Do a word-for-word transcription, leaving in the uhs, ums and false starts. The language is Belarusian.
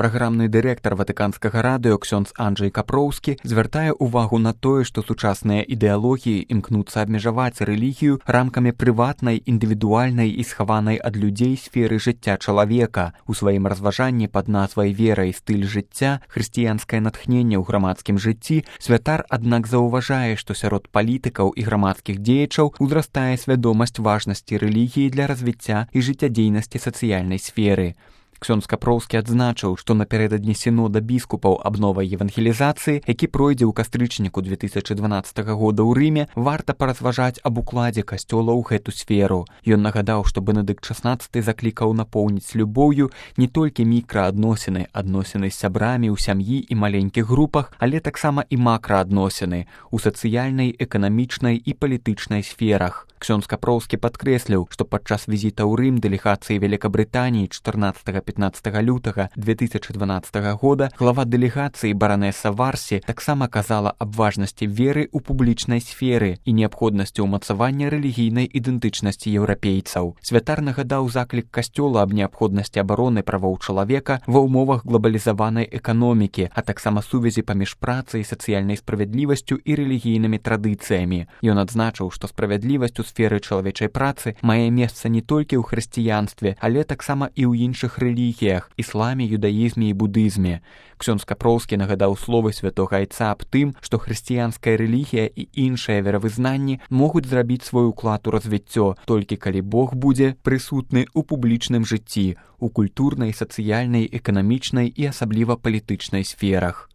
Праграмны дырэктар ватыканскага радыё ксёндз Анджэй Капроўскі звяртае ўвагу на тое, што сучасныя ідэалогіі імкнуцца абмежаваць рэлігію рамкамі прыватнай, індывідуальнай і схаванай ад людзей сферы жыцця чалавека. У сваім разважанні пад назвай «Вера і стыль жыцця. Хрысціянскае натхненне ў грамадскім жыцці» святар, аднак, заўважае, што сярод палітыкаў і грамадскіх дзеячаў узрастае свядомасць важнасці рэлігіі для развіцця і жыццядзейнасці сацыяльнай сферы. Ксёндз Капроўскі адзначыў, што напярэдадні сінода біскупаў аб новай евангелізацыі, які пройдзе ў кастрычніку две тысячы дванаццатага года ў Рыме, варта паразважаць аб укладзе касцёла ў гэту сферу. Ён нагадаў, што Бенедыкт шаснаццаты заклікаў напоўніць любоўю не толькі мікраадносіны, адносіны з сябрамі ў сям'і і маленькіх групах, але таксама і макраадносіны ў сацыяльнай, эканамічнай і палітычнай сферах. Ксёндз Капроўскі падкрэсліў, што падчас візіта ў Рым дэлегацыі Великабрытаніі чатырнаццатага-пятнаццатага лютага две тысячы дванаццатага года глава дэлегацыі баранеса Варсі таксама казала аб важнасці веры ў публічнай сферы і неабходнасці ўмацавання рэлігійнай ідэнтычнасці еўрапейцаў. Святар нагадаў заклік касцёла аб неабходнасці абароны правоў чалавека ва ўмовах глобалізаванай эканомікі, а таксама сувязі паміж працай, сацыяльнай справядлівасцю і рэлігійнымі традыцыямі. Ён адзначыў, што справядлівасць у сферы чалавечай працы мае месца не толькі ў хрысціянстве, але таксама і ў іншых рэлігіях – ісламе, юдаізме і будызме. Ксёндз Капроўскі нагадаў словы святога айца аб тым, што хрысціянская рэлігія і іншыя веравызнанні могуць зрабіць свой уклад у развіццё, толькі калі Бог будзе прысутны ў публічным жыцці, у культурнай, сацыяльнай, эканамічнай і асабліва палітычнай сферах.